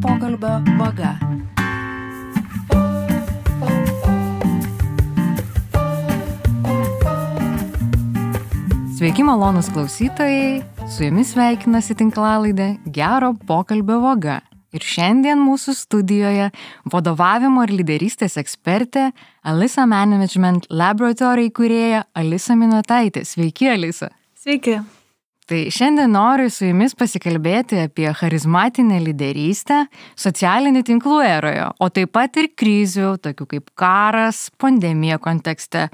pokalbio vaga. Sveiki, malonūs klausytojai, su jumis sveikinasi tinklalaidė Gero pokalbio vaga. Ir šiandien mūsų studijoje vadovavimo ir lyderystės ekspertė Alisa Management Laboratory įkūrėja Alisa Miniotaitė. Sveiki, Alisa. Sveiki. Tai šiandien noriu su jumis pasikalbėti apie charizmatinę lyderystę socialinių tinklų eroje, o taip pat ir krizių, tokių kaip karas, pandemija kontekste.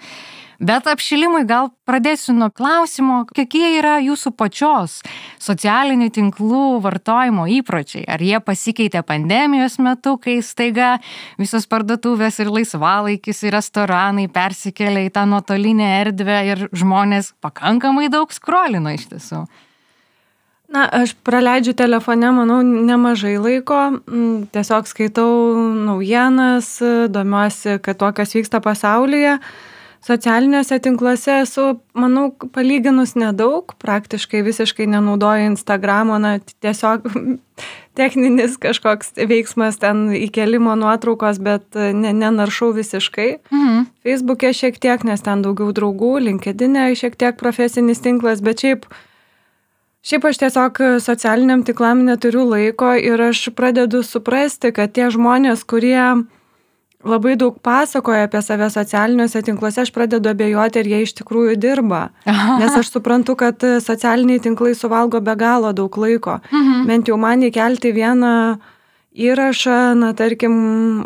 Bet apšilimui gal pradėsiu nuo klausimo, kokie yra jūsų pačios socialinių tinklų vartojimo įpročiai. Ar jie pasikeitė pandemijos metu, kai staiga visos parduotuvės ir laisvalaikis ir restoranai persikėlė į tą nuotolinę erdvę ir žmonės pakankamai daug skrolino iš tiesų? Na, aš praleidžiu telefone, manau, nemažai laiko. Tiesiog skaitau naujienas, domiuosi, kad to, kas vyksta pasaulyje. Socialiniuose tinkluose esu, manau, palyginus nedaug, praktiškai visiškai nenaudoju Instagramo, tiesiog techninis kažkoks veiksmas ten įkelimo nuotraukos, bet nenaršau visiškai. Facebook'e šiek tiek, nes ten daugiau draugų, LinkedIn'e šiek tiek profesinis tinklas, bet šiaip aš tiesiog socialiniam tiklam neturiu laiko ir aš pradedu suprasti, kad tie žmonės, kurie labai daug pasakoja apie save socialiniuose tinkluose, aš pradedu abejoti, ar jie iš tikrųjų dirba. Nes aš suprantu, kad socialiniai tinklai suvalgo be galo daug laiko. Bent jau man įkelti vieną įrašą, tarkim,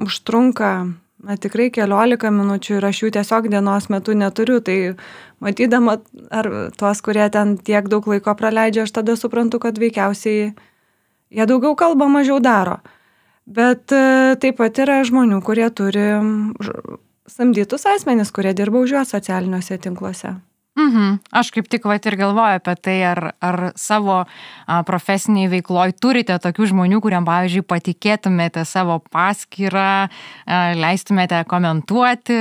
užtrunka tikrai 15 minučių ir aš jų tiesiog dienos metu neturiu. Tai matydama ar tuos, kurie ten tiek daug laiko praleidžia, aš tada suprantu, kad veikiausiai jie daugiau kalba, mažiau daro. Bet taip pat yra žmonių, kurie turi samdytus asmenis, kurie dirba už juos socialiniuose tinkluose. Aš kaip tik ir galvoju apie tai, ar savo profesiniai veikloj turite tokių žmonių, kuriam, pavyzdžiui, patikėtumėte savo paskyrą, leistumėte komentuoti.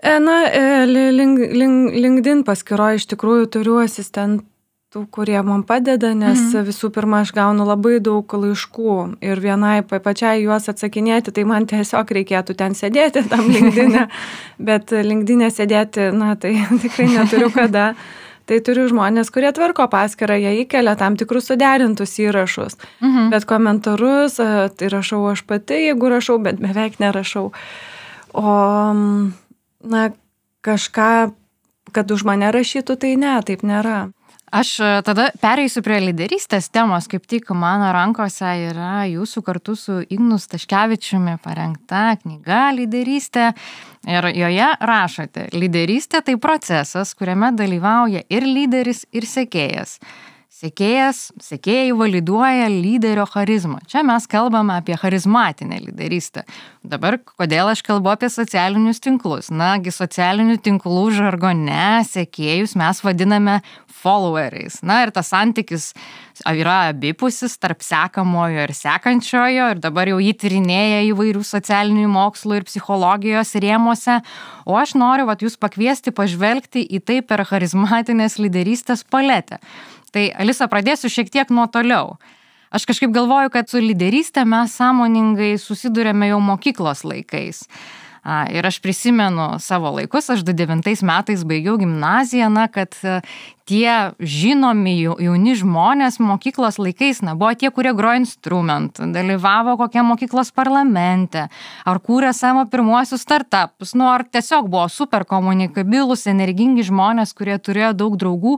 Na, LinkedIn paskyroje iš tikrųjų turiu asistentų, kurie man padeda, nes visų pirma, aš gaunu labai daug laiškų ir vienai pačiai juos atsakinėti, tai man tiesiog reikėtų ten sėdėti tam LinkedIn'e, bet LinkedIn'e sėdėti, tai tikrai neturiu kada. Tai turiu žmonės, kurie tvarko paskyrą, jie įkelia tam tikrus suderintus įrašus, bet komentarus tai rašau aš pati, jeigu rašau, bet beveik nerašau. O, kažką, kad už mane rašytų, tai ne, taip nėra. Aš tada pereisiu prie lyderystės temos, kaip tik mano rankose yra jūsų kartu su Ignu Staškevičiumi parengta knyga Lyderystė ir joje rašote, lyderystė tai procesas, kuriame dalyvauja ir lyderis, ir sekėjas. Sekėjai validuoja lyderio charizmą. Čia mes kalbame apie charizmatinę lyderystę. Dabar, kodėl aš kalbu apie socialinius tinklus? Nagi, socialinių tinklų žargone sekėjus mes vadiname followeriais. Ir tas santykis yra abipusis tarp sekamojo ir sekančiojo ir dabar jau jį tyrinėja įvairių socialinių mokslų ir psichologijos rėmuose. O aš noriu jūs pakviesti pažvelgti į tai per charizmatinės lyderystės paletę. Tai, Alisa, pradėsiu šiek tiek nuo toliau. Aš kažkaip galvoju, kad su lyderystė mes sąmoningai susidurėme jau mokyklos laikais. Ir aš prisimenu savo laikus, aš 2009 metais baigiau gimnaziją, kad tie žinomi jauni žmonės mokyklos laikais, buvo tie, kurie grojo instrumentų, dalyvavo kokie mokyklos parlamente, ar kūrė savo pirmuosius startupus, ar tiesiog buvo super komunikabilūs, energingi žmonės, kurie turėjo daug draugų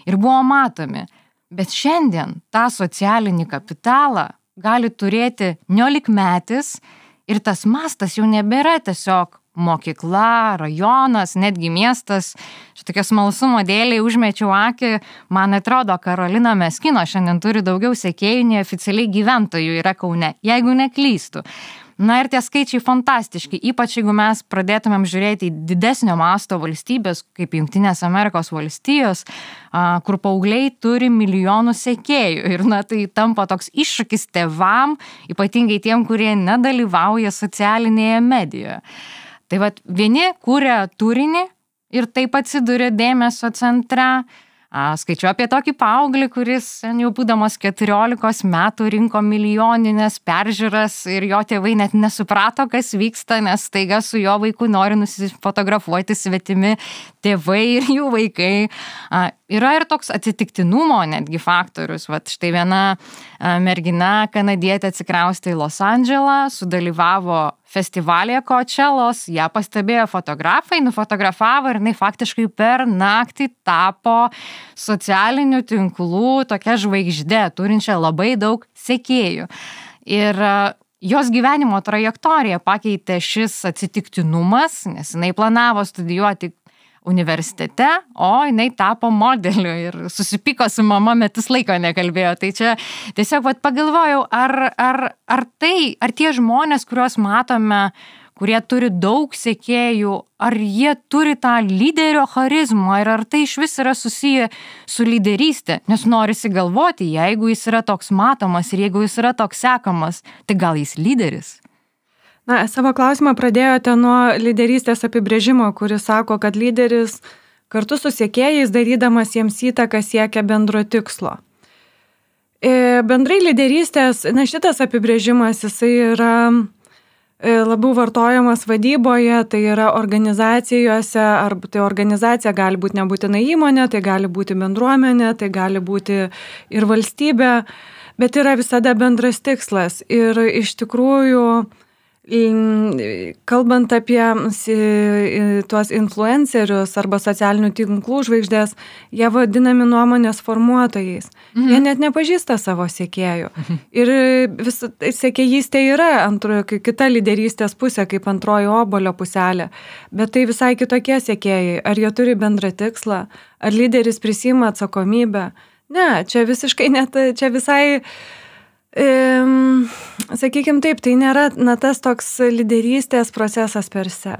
ir buvo matomi. Bet šiandien tą socialinį kapitalą gali turėti 19-metis, ir tas mastas jau nebėra tiesiog mokykla, rajonas, netgi miestas. Šitokio smalsumo dėliai užmečiau akį, man atrodo, Karolina Meskino šiandien turi daugiau sekėjų, nei oficialiai gyventojų yra Kaune, jeigu neklystu. Ir tie skaičiai fantastiški, ypač jeigu mes pradėtumėm žiūrėti į didesnio masto valstybės, kaip Jungtinės Amerikos valstijos, kur paaugliai turi milijonus sekėjų. Ir tai tampa toks iššūkis tėvam, ypatingai tiem, kurie nedalyvauja socialinėje medijoje. Tai vieni kūrė turinį ir taip atsiduria dėmesio centre, Skaičiu apie tokį paauglį, kuris jau būdamas 14 metų rinko milijoninės peržiūras ir jo tėvai net nesuprato, kas vyksta, nes staiga su jo vaiku nori nusifotografuoti svetimi tėvai ir jų vaikai. Yra ir toks atsitiktinumo netgi faktorius. Vat štai viena mergina kanadietė atsikraustė į Los Andželą, sudalyvavo festivalyje Coachellos, ją pastebėjo fotografai, nufotografavo ir jinai faktiškai per naktį tapo socialinių tinklų tokia žvaigždė, turinčia labai daug sekėjų. Ir jos gyvenimo trajektoriją pakeitė šis atsitiktinumas, nes jinai planavo studijuoti universitete, o jinai tapo modeliu ir susipyko su mama, metus laiko nekalbėjo. Tai čia tiesiog pagalvojau, ar tie žmonės, kuriuos matome, kurie turi daug sekėjų, ar jie turi tą lyderio charizmą ir ar tai iš vis yra susiję su lyderystė. Nes norisi galvoti, jeigu jis yra toks matomas ir jeigu jis yra toks sekamas, tai gal jis lyderis? Na, savo klausimą pradėjote nuo lyderystės apibrėžimo, kuris sako, kad lyderis kartu su sekėjais, darydamas jiems įtaką, siekia bendro tikslo. Bendrai lyderystės, šitas apibrėžimas, jisai yra labiau vartojamas vadyboje, tai yra organizacijose, arba tai organizacija gali būti nebūtinai įmonė, tai gali būti bendruomenė, tai gali būti ir valstybė, bet yra visada bendras tikslas. Ir iš tikrųjų, kalbant apie tuos influencerius arba socialinių tinklų žvaigždės, jie vadinami nuomonės formuotojais. Jie net nepažįsta savo sekėjų. Ir sekėjystė yra kita lyderystės pusė, kaip antroji obuolio puselė. Bet tai visai kitokie sekėjai. Ar jie turi bendrą tikslą? Ar lyderis prisiima atsakomybę? Ne, čia visiškai net, čia visai... sakykime taip, tai nėra tas toks lyderystės procesas per se.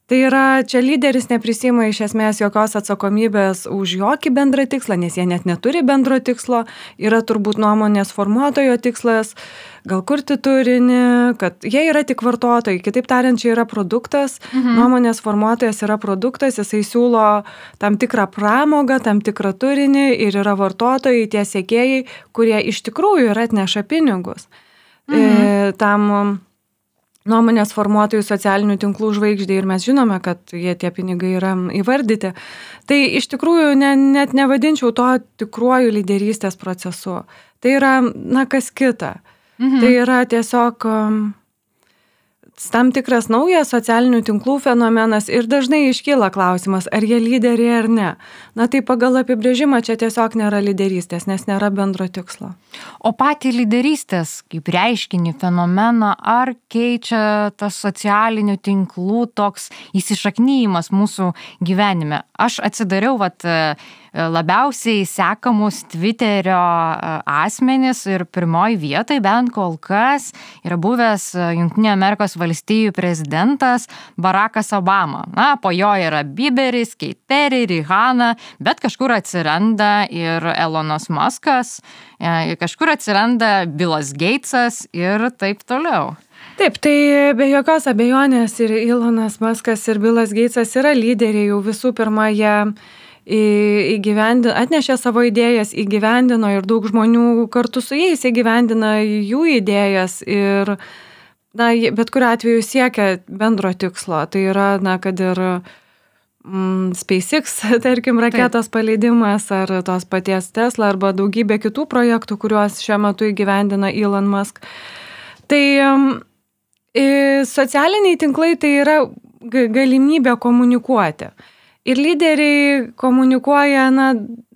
Tai yra, čia lyderis neprisiima iš esmės jokios atsakomybės už jokį bendrą tikslą, nes jie net neturi bendro tikslo, yra turbūt nuomonės formuotojo tikslas, gal kurti turinį, kad jie yra tik vartotojai, kitaip tariant, čia yra produktas, nuomonės formuotojas yra produktas, jisai siūlo tam tikrą pramogą, tam tikrą turinį ir yra vartotojai, tie sekėjai, kurie iš tikrųjų yra atneša pinigus. Tam nuomonės formuotojų socialinių tinklų žvaigždė ir mes žinome, kad tie pinigai yra įvardyti. Tai iš tikrųjų net nevadinčiau to tikruoju lyderystės procesu. Tai yra, kas kita. Tai yra tiesiog tam tikras naujas socialinių tinklų fenomenas ir dažnai iškyla klausimas, ar jie lyderiai ar ne. Tai pagal apibrėžimą čia tiesiog nėra lyderystės, nes nėra bendro tikslo. O patį lyderystės kaip reiškinį, fenomeną, ar keičia tas socialinių tinklų toks įsišaknyjimas mūsų gyvenime? Aš atsidariau labiausiai sekamus Twitterio asmenis ir pirmoji vietoj bent kol kas yra buvęs Jungtinių Amerikos valstijų prezidentas Barackas Obama. Po jo yra Bieberis, Kate Perry, Rihanna, bet kažkur atsiranda ir Elonas Muskas, kažkur atsiranda Billas Gatesas ir taip toliau. Taip, tai be jokios abejonės ir Elonas Muskas ir Billas Gatesas yra lyderiai, jau visų pirma jie atnešė savo idėjas, įgyvendino ir daug žmonių kartu su jais įgyvendina jų idėjas ir bet kuriuo atveju siekia bendro tikslo. Tai yra, kad ir SpaceX, tarkim, raketos paleidimas ar tos paties Tesla arba daugybė kitų projektų, kuriuos šiuo metu įgyvendina Elon Musk. Tai socialiniai tinklai tai yra galimybė komunikuoti. Ir lyderiai komunikuoja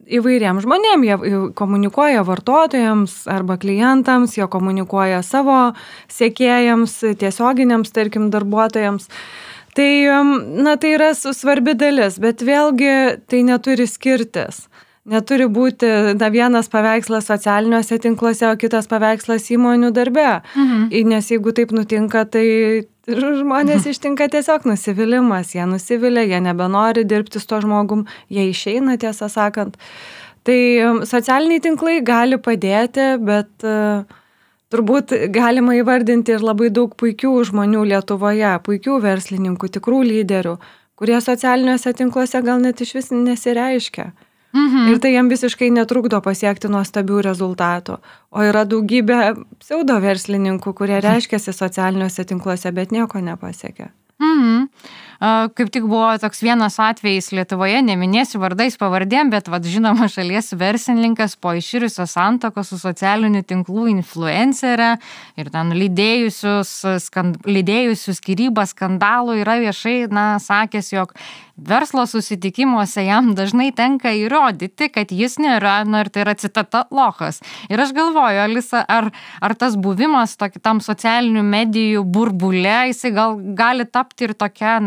įvairiems žmonėms, jie komunikuoja vartotojams arba klientams, jie komunikuoja savo sekėjams, tiesioginiams, tarkim, darbuotojams. Tai, tai yra svarbi dalis, bet vėlgi tai neturi skirtis. Neturi būti vienas paveikslas socialiniuose tinkluose, o kitas paveikslas įmonių darbe. Nes jeigu taip nutinka, tai žmonės ištinka tiesiog nusivylimas. Jie nusivilia, jie nebenori dirbti su to žmogum, jie išeina, tiesą sakant. Tai socialiniai tinklai gali padėti, bet turbūt galima įvardinti ir labai daug puikių žmonių Lietuvoje, puikių verslininkų, tikrų lyderių, kurie socialiniuose tinkluose gal net iš vis nesireiškia. Ir tai jam visiškai netrukdo pasiekti nuostabių rezultatų. O yra daugybė pseudo verslininkų, kurie reiškiasi socialiniuose tinkluose, bet nieko nepasiekia. Kaip tik buvo toks vienas atvejis Lietuvoje, neminėsiu vardais pavardėm, bet žinoma šalies verslininkas po iširusios santuokos su socialinių tinklų influencerė ir ten lydėjusių skyrybą skandalų yra viešai, sakęs, jog verslo susitikimuose jam dažnai tenka įrodyti, kad jis nėra, ir tai yra citata, lochas. Ir aš galvoju, Alisa, ar tas buvimas tam socialinių medijų burbule, jisai gali tapti ir tokia,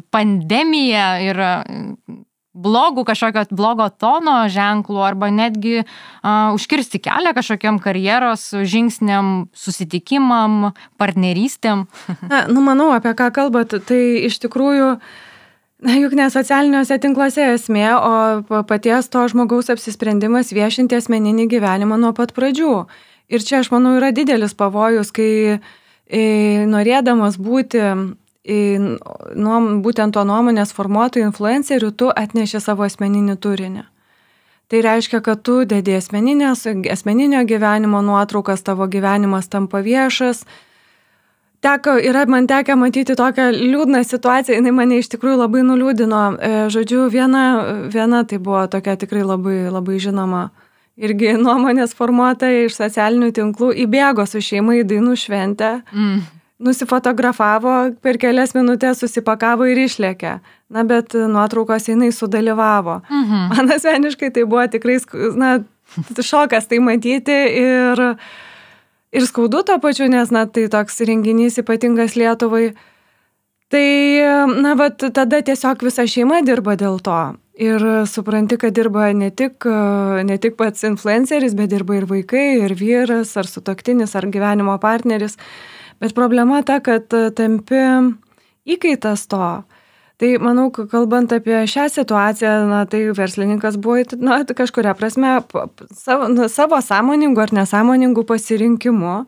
pandemija ir blogo tono ženklų arba netgi užkirsti kelią kažkokiam karjeros žingsniam, susitikimam, partnerystėm. Manau, apie ką kalbat, tai iš tikrųjų juk ne socialiniuose tinkluose esmė, o paties to žmogaus apsisprendimas viešinti asmeninį gyvenimą nuo pat pradžių. Ir čia, aš manau, yra didelis pavojus, kai norėdamas būti būtent to nuomonės formuotojų influencerių, tu atneši savo asmeninį turinį. Tai reiškia, kad tu dedi asmeninio gyvenimo nuotraukas, tavo gyvenimas tampa viešas. Yra man tekę matyti tokią liūdną situaciją, jinai mane iš tikrųjų labai nuliūdino. Žodžiu, viena tai buvo tokia tikrai labai, labai žinoma irgi nuomonės formuotoja iš socialinių tinklų, įbėgo su šeima į dainų šventę, nusifotografavo, per kelias minutės susipakavo ir išlėkė. Bet nuotraukos jinai sudalyvavo. Man asmeniškai tai buvo tikrai šokas tai matyti ir skaudu to pačiu, nes tai toks renginys ypatingas Lietuvai. Tai, tada tiesiog visa šeima dirba dėl to. Ir supranti, kad dirba ne tik pats influenceris, bet dirba ir vaikai, ir vyras, ar sutuoktinis, ar gyvenimo partneris. Bet problema ta, kad tampi įkaitas to. Tai manau, kalbant apie šią situaciją, tai verslininkas buvo kažkuria prasme savo sąmoningų ar nesąmoningų pasirinkimų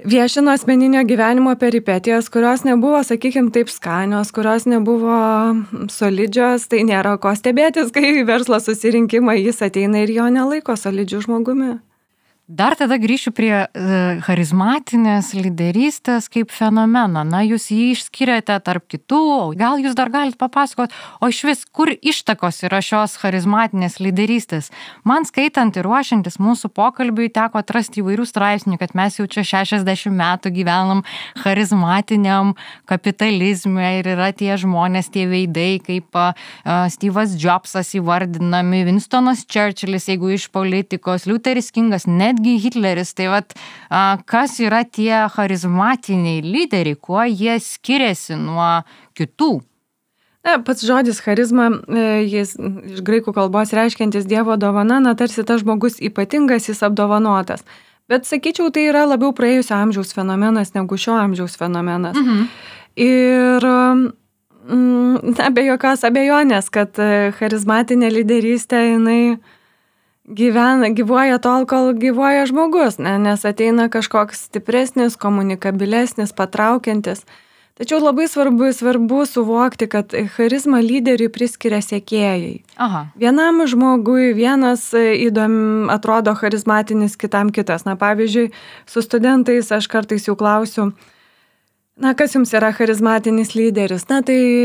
viešino asmeninio gyvenimo peripetijas, kurios nebuvo, sakykime, taip skanios, kurios nebuvo solidžios, tai nėra ko stebėtis, kai verslo susirinkimą jis ateina ir jo nelaiko solidžių žmogumi. Dar tada grįšiu prie charizmatinės lyderystės kaip fenomeno. Jūs jį išskiriate tarp kitų, gal jūs dar galite papasakoti, o iš vis, kur ištakos yra šios charizmatinės lyderystės? Man skaitant ir ruošiantis mūsų pokalbiui teko atrasti įvairių straipsnių, kad mes jau čia 60 metų gyvenam charizmatiniam kapitalizme ir yra tie žmonės, tie veidai, kaip Steve'as Jobsas įvardinami, Winstonas Churchillis, jeigu iš politikos, Lutheris Kingas, netgi Hitleris. Tai kas yra tie charizmatiniai lyderiai, kuo jie skiriasi nuo kitų? Pats žodis charizma, jis iš graikų kalbos reiškiantis Dievo dovana, tarsi tas žmogus ypatingas, jis apdovanotas. Bet sakyčiau, tai yra labiau praėjusio amžiaus fenomenas negu šio amžiaus fenomenas. Ir be jokios abejonės, kad charizmatinė lyderystė, jinai gyvuoja tol, kol gyvuoja žmogus, nes ateina kažkoks stipresnis, komunikabilesnis, patraukiantis. Tačiau labai svarbu suvokti, kad charizmą lyderiui priskiria sekėjai. Vienam žmogui vienas atrodo charizmatinis, kitam kitas. Pavyzdžiui, su studentais aš kartais jų klausiu, kas jums yra charizmatinis lyderis? Tai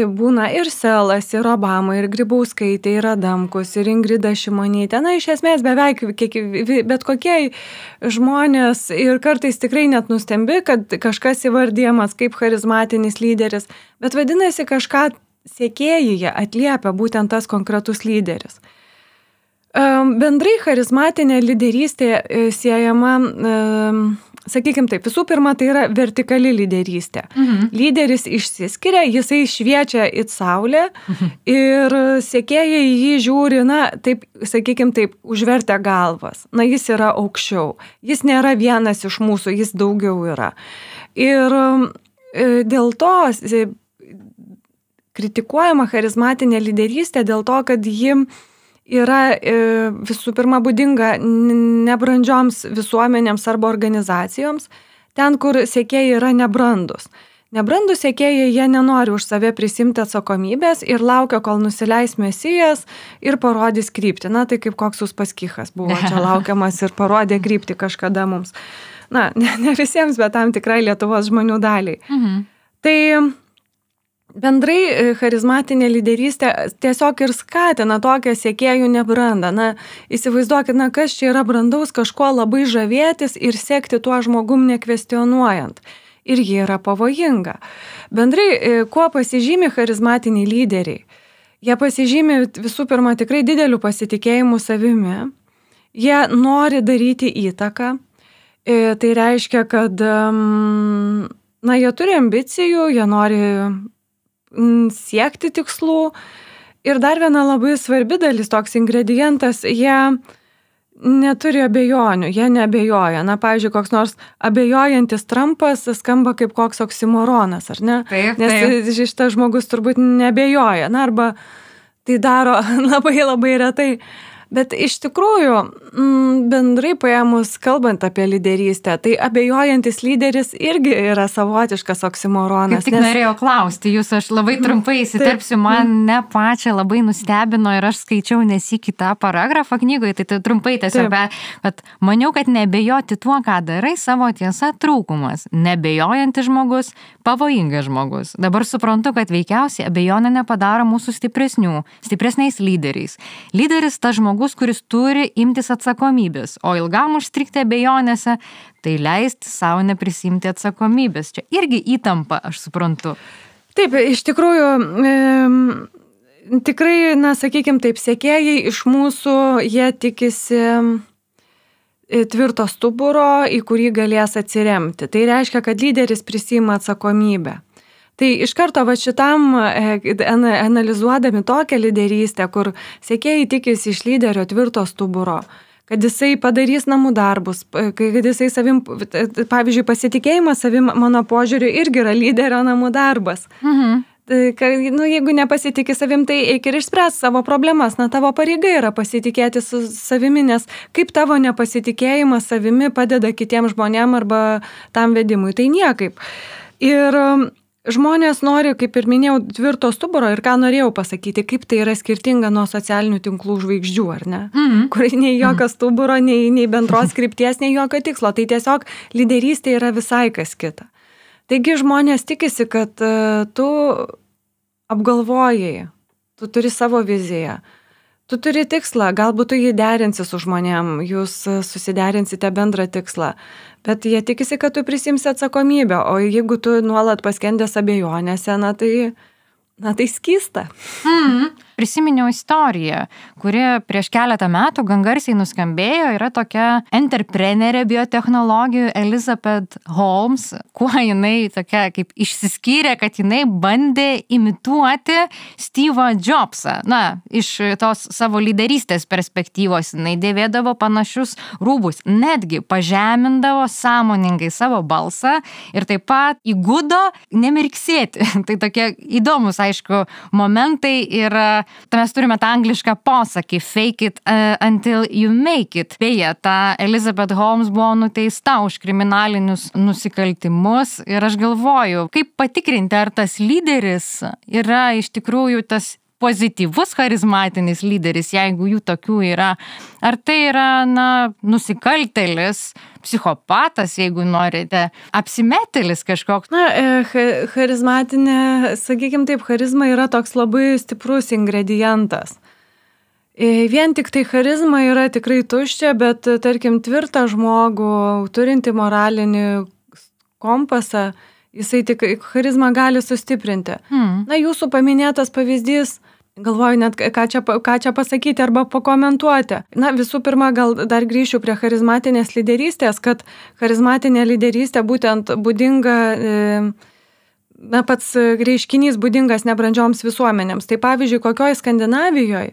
būna ir Selas, ir Obama, ir Grybauskaitė, ir Adamkus, ir Ingrida Šimonytė. Iš esmės beveik bet kokie žmonės ir kartais tikrai net nustembi, kad kažkas įvardyjamas kaip charizmatinis lyderis, bet vadinasi kažką sekėjai atliepia būtent tas konkretus lyderis. Bendrai charizmatinė lyderystė siejama, sakykime taip, visų pirma, tai yra vertikali lyderystė. Lyderis išsiskiria, jisai šviečia į saulę ir sekėjai jį žiūri, taip, sakykime taip, užvertę galvas. Jis yra aukščiau. Jis nėra vienas iš mūsų, jis daugiau yra. Ir dėl to kritikuojama charizmatinė lyderystė dėl to, kad ji yra visų pirma būdinga nebrandžioms visuomenėms arba organizacijoms, ten, kur sekėjai yra nebrandus. Nebrandus sekėjai, jie nenori už save prisimti atsakomybės ir laukia, kol nusileis mesijas ir parodys kryptį. Na, tai kaip koks Uspaskichas buvo čia laukiamas ir parodė kryptį kažkada mums. Na, ne visiems, bet tam tikrai Lietuvos žmonių daliai. Tai bendrai charizmatinė lyderystė tiesiog ir skatina tokią sekėjų nebrandą. Na, įsivaizduokit, kas čia yra brandaus kažkuo labai žavėtis ir sekti tuo žmogum nekvestionuojant. Ir jie yra pavojinga. Bendrai, kuo pasižymi charizmatiniai lyderiai? Jie pasižymi visų pirma tikrai dideliu pasitikėjimu savimi. Jie nori daryti įtaką. Tai reiškia, kad jie turi ambicijų, jie nori siekti tikslų. Ir dar viena labai svarbi dalis, toks ingredientas, jie neturi abejonių, jie neabejoja. Na, pavyzdžiui, koks nors abejojantis Trumpas skamba kaip koks oksimoronas, ar ne? Taip. Nes šitas žmogus turbūt neabejoja, arba tai daro labai labai retai. Bet iš tikrųjų, bendrai paėmus, kalbant apie lyderystę, tai abejojantis lyderis irgi yra savotiškas oksimoronas. Kaip tik norėjau klausti, aš labai trumpai įsiterpsiu, man pačią labai nustebino ir aš skaičiau nesikį tą paragrafą knygoje, tai trumpai tiesiog, bet maniau, kad neabejoti tuo, ką darai, savo tiesa trūkumas. Neabejojantis žmogus, pavojingas žmogus. Dabar suprantu, kad veikiausiai abejonė nepadaro mūsų stipresniais lyderiais. Lyderis tas žmogus, kuris turi imtis atsakomybės, o ilgam užstrigti abejonėse, tai leisti savo neprisimti atsakomybės. Čia irgi įtampa, aš suprantu. Taip, iš tikrųjų, tikrai, sakykime taip, sekėjai iš mūsų, jie tikisi tvirto stuburo, į kurį galės atsiremti. Tai reiškia, kad lyderis prisima atsakomybę. Tai iš karto šitam analizuodami tokią lyderystę, kur sekėjai tikisi iš lyderio tvirto stuburo, kad jisai padarys namų darbus, kad jisai savim, pavyzdžiui, pasitikėjimas savim, mano požiūriu, irgi yra lyderio namų darbas. Tai, jeigu nepasitikė savim, tai eik ir išspręs savo problemas. Tavo pareiga yra pasitikėti su savimi, nes kaip tavo nepasitikėjimas savimi padeda kitiems žmonėm arba tam vedimui, tai niekaip. Ir žmonės nori, kaip ir minėjau, tvirto stuburo ir ką norėjau pasakyti, kaip tai yra skirtinga nuo socialinių tinklų žvaigždžių, ar ne? Kur nei jokio stuburo, nei bendros krypties, nei jokio tikslo. Tai tiesiog lyderystė yra visai kas kita. Taigi žmonės tikisi, kad tu apgalvojai, tu turi savo viziją, tu turi tikslą, galbūt tu jį derinsi su žmonėm, jūs susiderinsite bendrą tikslą, bet jie tikisi, kad tu prisimsi atsakomybę, o jeigu tu nuolat paskendęs abejonėse, tai skysta. Prisiminiau istoriją, kuri prieš keletą metų gan garsiai nuskambėjo, yra tokia entreprenerė biotechnologijų Elizabeth Holmes, kuo jinai tokia kaip išsiskyrė, kad jinai bandė imituoti Steve'ą Jobsą. Iš tos savo lyderystės perspektyvos jinai dėvėdavo panašius rūbus, netgi pažemindavo sąmoningai savo balsą ir taip pat įgudo nemirksėti. Tai tokie įdomus, aišku, momentai ir mes turime tą anglišką posakį fake it until you make it. Beje, ta Elizabeth Holmes buvo nuteista už kriminalinius nusikaltimus ir aš galvoju, kaip patikrinti, ar tas lyderis yra iš tikrųjų tas pozityvus charizmatinis lyderis, jeigu jų tokių yra. Ar tai yra, nusikaltėlis, psichopatas, jeigu norite, apsimetėlis kažkoks? Charizmatinė, sakykime taip, charizma yra toks labai stiprus ingredientas. Vien tik tai charizma yra tikrai tuščia, bet, tarkim, tvirtą žmogų, turinti moralinį kompasą, jisai tik charizmą gali sustiprinti. Jūsų paminėtas pavyzdys, galvoju net, ką čia pasakyti arba pakomentuoti. Visų pirma, gal dar grįšiu prie charizmatinės lyderystės, kad charizmatinė lyderystė būtent būdinga, pats reiškinys būdingas nebrandžioms visuomenėms. Tai pavyzdžiui, kokioj Skandinavijoje,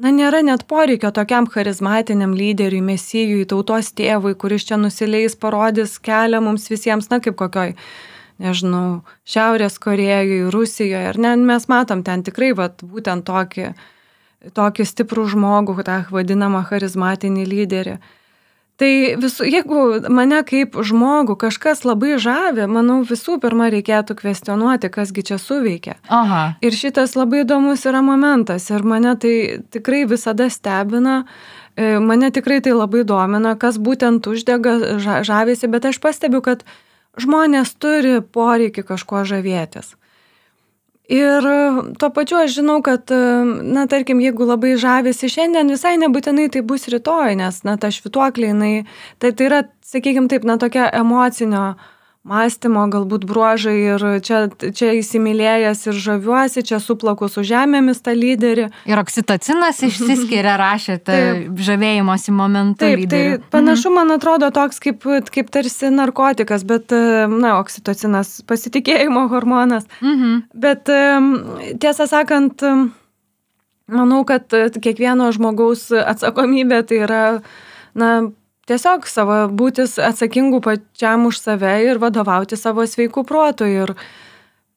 nėra net poreikio tokiam charizmatiniam lyderiui, mesijui, tautos tėvui, kuris čia nusileis, parodys kelią mums visiems, kaip kokioj, nežinau, Šiaurės Korėjoje, Rusijoje, mes matom ten tikrai būtent tokį stiprų žmogų, tą vadinamą charizmatinį lyderį. Tai jeigu mane kaip žmogų kažkas labai žavi, manau, visų pirma reikėtų kvestionuoti, kasgi čia suveikia. Aha. Ir šitas labai įdomus yra momentas ir mane tai tikrai visada stebina, mane tikrai tai labai domina, kas būtent uždega žavėsi, bet aš pastebiu, kad žmonės turi poreikį kažkuo žavėtis. Ir tuo pačiu aš žinau, kad, na, tarkim, jeigu labai žavėsi šiandien, visai nebūtinai tai bus rytoj, nes, na, ta švytuoklė, tai yra, sakykime taip, na, tokia emocinio mąstymo galbūt bruožai ir čia įsimylėjęs ir žaviuosi, čia suplaku su žemėmis tą lyderį. Ir oksitocinas išsiskiria, rašėte, žavėjimosi momentu lyderių. Tai panašu, man atrodo, toks kaip tarsi narkotikas, bet, na, oksitocinas pasitikėjimo hormonas. Bet tiesą sakant, manau, kad kiekvieno žmogaus atsakomybė tai yra, na, tiesiog būtis atsakingų pačiam už save ir vadovauti savo sveikų protų ir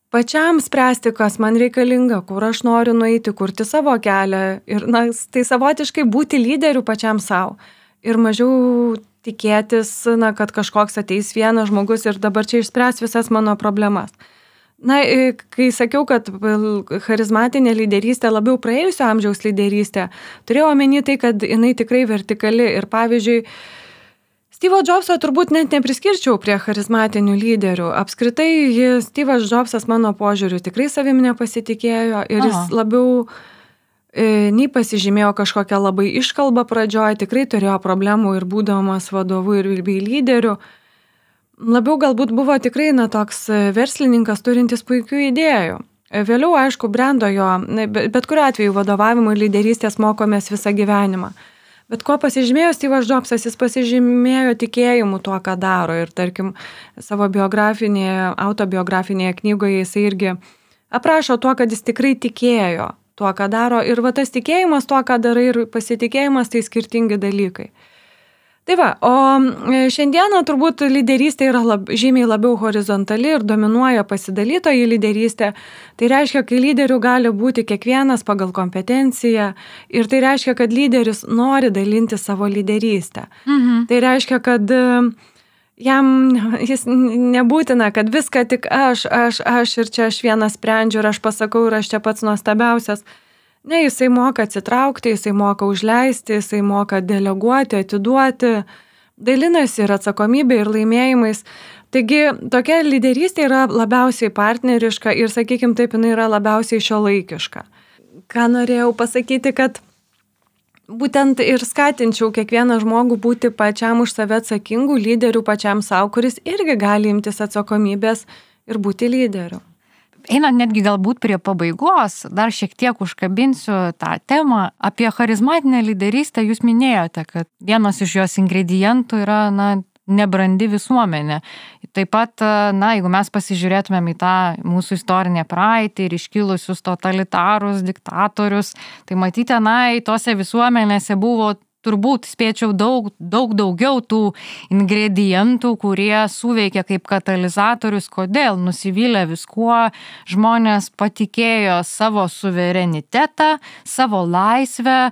pačiam spręsti, kas man reikalinga, kur aš noriu nueiti, kurti savo kelią ir, na, tai savotiškai būti lyderiu pačiam savo ir mažiau tikėtis, na, kad kažkoks ateis vienas žmogus ir dabar čia išspręs visas mano problemas. Na, kai sakiau, kad charizmatinė lyderystė labiau praėjusio amžiaus lyderystė, turėjau omeny tai, kad jinai tikrai vertikali ir pavyzdžiui, Steve'o Jobso turbūt net nepriskirčiau prie charizmatinių lyderių. Apskritai, Steve'as Jobsas mano požiūriu tikrai savim nepasitikėjo ir jis labiau nei pasižymėjo kažkokią labai iškalbą pradžioje, tikrai turėjo problemų ir būdamas vadovu ir bei lyderiu. Labiau galbūt buvo tikrai, na, toks verslininkas turintis puikių idėjų. Vėliau, aišku, brendo jo, bet kuriuo atveju vadovavimo ir lyderystės mokomės visą gyvenimą. Bet ko pasižymėjo Steve'as Jobsas, jis pasižymėjo tikėjimu tuo, ką daro. Ir tarkim, savo autobiografinėje knygoje jisai irgi aprašo tuo, kad jis tikrai tikėjo tuo, ką daro. Ir va tas tikėjimas tuo, ką darai ir pasitikėjimas, tai skirtingi dalykai. Tai va, o šiandieną turbūt lyderystė yra žymiai labiau horizontali ir dominuoja pasidalytoji lyderystė. Tai reiškia, kai lyderių gali būti kiekvienas pagal kompetenciją ir tai reiškia, kad lyderis nori dalinti savo lyderystę. Tai reiškia, kad jis nebūtina, kad viską tik aš ir čia aš vienas sprendžiu ir aš pasakau ir aš čia pats nuostabiausias. Ne, jisai moka atsitraukti, jisai moka užleisti, jisai moka deleguoti, atiduoti, dalinasi ir atsakomybė, ir laimėjimais. Taigi, tokia lyderystė yra labiausiai partneriška ir, sakykime taip, jinai yra labiausiai šiuolaikiška. Ką norėjau pasakyti, kad būtent ir skatinčiau kiekvieną žmogų būti pačiam už save atsakingų lyderių pačiam savo, kuris irgi gali imtis atsakomybės ir būti lyderiu. Einant netgi galbūt prie pabaigos, dar šiek tiek užkabinsiu tą temą. Apie charizmatinę lyderystę jūs minėjote, kad vienas iš jos ingredientų yra, na, nebrandi visuomenė. Taip pat, na, jeigu mes pasižiūrėtumėm į tą mūsų istorinę praeitį ir iškilusius totalitarus, diktatorius, tai matyti, na, į tose visuomenėse buvo turbūt spėčiau daug daugiau tų ingredientų, kurie suveikia kaip katalizatorius. Kodėl? Nusivylę viskuo, žmonės patikėjo savo suverenitetą, savo laisvę,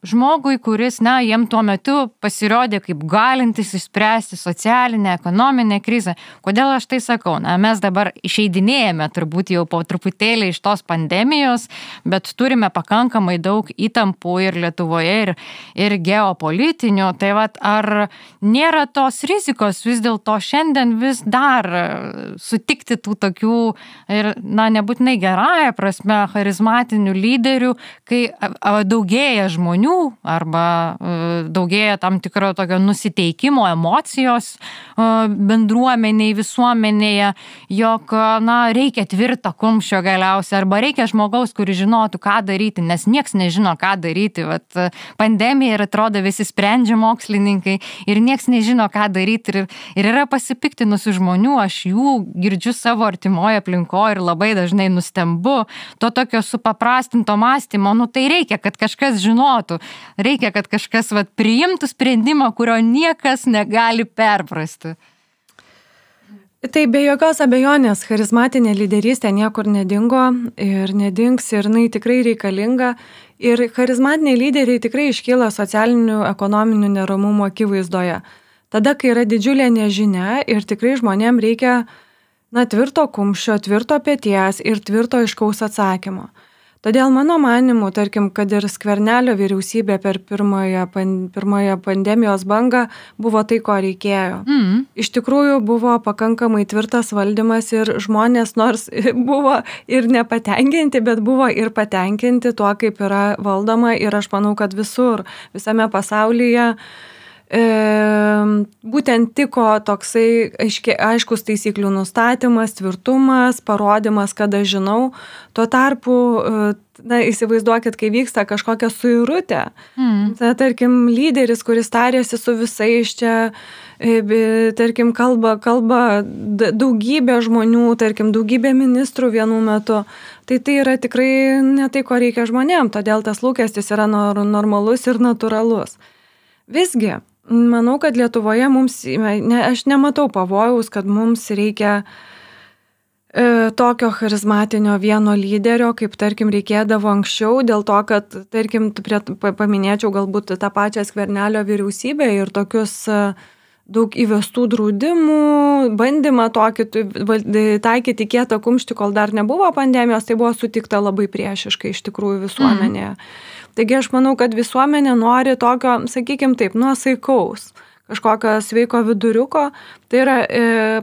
žmogui, kuris, na, jiem tuo metu pasirodė kaip galintis išspręsti socialinę, ekonominę krizę. Kodėl aš tai sakau? Na, mes dabar išeidinėjame turbūt jau po truputėlį iš tos pandemijos, bet turime pakankamai daug įtampų ir Lietuvoje, ir geopolitinių, tai vat, ar nėra tos rizikos vis dėlto šiandien vis dar sutikti tų tokių ir, na, nebūtinai gerąją prasme charizmatinių lyderių, kai daugėja žmonių arba daugėja tam tikro tokio nusiteikimo, emocijos bendruomeniai, visuomenėje, jog, na, reikia tvirto kumščio galiausiai arba reikia žmogaus, kuris žinotų, ką daryti, nes nieks nežino, ką daryti. Vat, pandemija ir atrodo visi sprendžia mokslininkai ir nieks nežino, ką daryti ir yra pasipiktinusių žmonių, aš jų girdžiu savo artimoje aplinkoje ir labai dažnai nustembu to tokio supaprastinto mąstymo, nu tai reikia, kad kažkas žinotų, reikia, kad kažkas priimtų sprendimą, kurio niekas negali perprasti. Tai be jokios abejonės, charizmatinė lyderystė niekur nedingo ir nedings ir jinai tikrai reikalinga. Ir charizmatiniai lyderiai tikrai iškyla socialinių, ekonominių neramumų akivaizdoje. Tada, kai yra didžiulė nežinia ir tikrai žmonėm reikia tvirto kumščio, tvirto peties ir tvirto aiškaus atsakymo. Todėl mano manimu, tarkim, kad ir Skvernelio vyriausybė per pirmąją pandemijos bangą buvo tai, ko reikėjo. Iš tikrųjų buvo pakankamai tvirtas valdymas ir žmonės nors buvo ir nepatenkinti, bet buvo ir patenkinti tuo, kaip yra valdoma ir aš manau, kad visame pasaulyje būtent tiko toksai aiškus taisyklių nustatymas, tvirtumas, parodimas, kad aš žinau. Tuo tarpu, įsivaizduokit, kai vyksta kažkokia suirutė, tarkim, lyderis, kuris tarėsi su visais čia, tarkim, kalba daugybė žmonių, tarkim, daugybė ministrų vienu metu, tai yra tikrai ne tai, ko reikia žmonėm, todėl tas lūkestis yra normalus ir natūralus. Visgi, manau, kad Lietuvoje aš nematau pavojaus, kad mums reikia tokio charizmatinio vieno lyderio, kaip, tarkim, reikėdavo anksčiau, dėl to, kad, tarkim, paminėčiau galbūt tą pačią Skvernelio vyriausybę ir tokius daug įvestų draudimų, bandymą tokį taikyti kietą kumštį, kol dar nebuvo pandemijos, tai buvo sutikta labai priešiškai iš tikrųjų visuomenėje. Taigi aš manau, kad visuomenė nori tokio, sakykime taip, nuosaikaus, kažkokio sveiko viduriuko, tai yra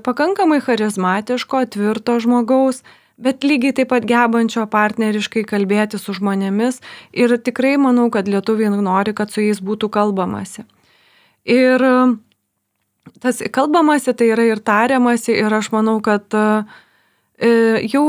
pakankamai charizmatiško, tvirto žmogaus, bet lygiai taip pat gebančio partneriškai kalbėti su žmonėmis ir tikrai manau, kad lietuviai nori, kad su jais būtų kalbamasi. Ir tas kalbamasi tai yra ir tariamasi ir aš manau, kad jau,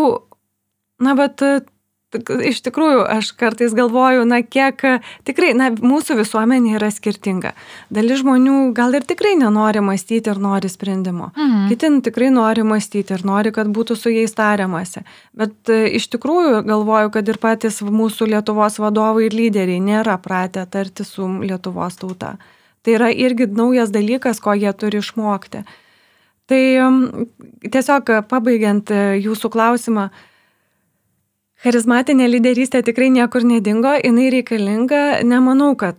iš tikrųjų, aš kartais galvoju, kiek tikrai, mūsų visuomenė yra skirtinga. Dalis žmonių gal ir tikrai nenori mąstyti ir nori sprendimo. Kiti tikrai nori mąstyti ir nori, kad būtų su jais tariamasi. Bet iš tikrųjų galvoju, kad ir patys mūsų Lietuvos vadovai ir lyderiai nėra pratę tarti su Lietuvos tauta. Tai yra irgi naujas dalykas, ko jie turi išmokti. Tai tiesiog pabaigiant jūsų klausimą, charizmatinė lyderystė tikrai niekur nedingo, jinai reikalinga. Nemanau, kad,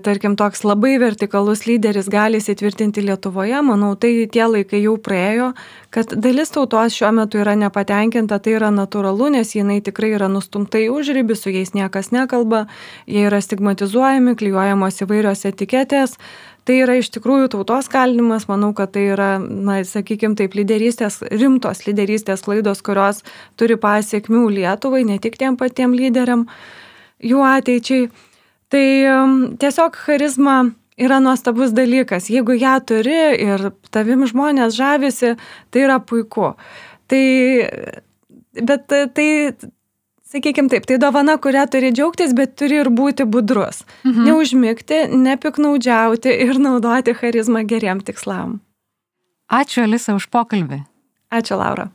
tarkim, toks labai vertikalus lyderis gali įsitvirtinti Lietuvoje. Manau, tai tie laikai jau praėjo, kad dalis tautos šiuo metu yra nepatenkinta, tai yra natūralu, nes jinai tikrai yra nustumta į užribį, su jais niekas nekalba, jie yra stigmatizuojami, klijuojamos įvairios etiketės. Tai yra iš tikrųjų tautos kalinimas, manau, kad tai yra, sakykime taip, rimtos lyderystės klaidos, kurios turi pasiekmių Lietuvai, ne tik tiem patiem lyderiam, jų ateičiai. Tai tiesiog charizma yra nuostabus dalykas. Jeigu ją turi ir tavim žmonės žavisi, tai yra puiku. Bet tai sakykime taip, tai dovana, kurią turi džiaugtis, bet turi ir būti budrus. Neužmigti, nepiknaudžiauti ir naudoti charizmą geriem tikslam. Ačiū, Alisa, už pokalbį. Ačiū, Laura.